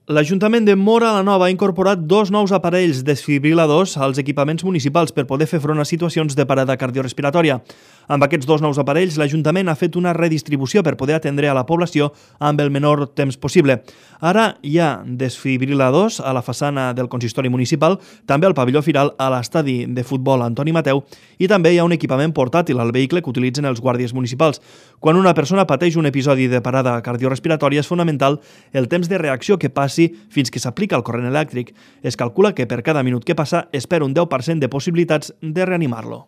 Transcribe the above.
L'Ajuntament de Móra la Nova ha incorporat 2 nous aparells desfibriladors als equipaments municipals per poder fer front a situacions de parada cardiorrespiratòria. Amb aquests 2 nous aparells, l'Ajuntament ha fet una redistribució per poder atendre a la població amb el menor temps possible. Ara hi ha desfibriladors a la façana del consistori municipal, també al pavelló firal, a l'estadi de futbol Antoni Mateu, i també hi ha un equipament portàtil al vehicle que utilitzen els guàrdies municipals. Quan una persona pateix un episodi de parada cardiorrespiratòria, és fonamental el temps de reacció que passi fins que s'aplica el corrent elèctric. Es calcula que per cada minut que passa es perd un 10% de possibilitats de reanimar-lo.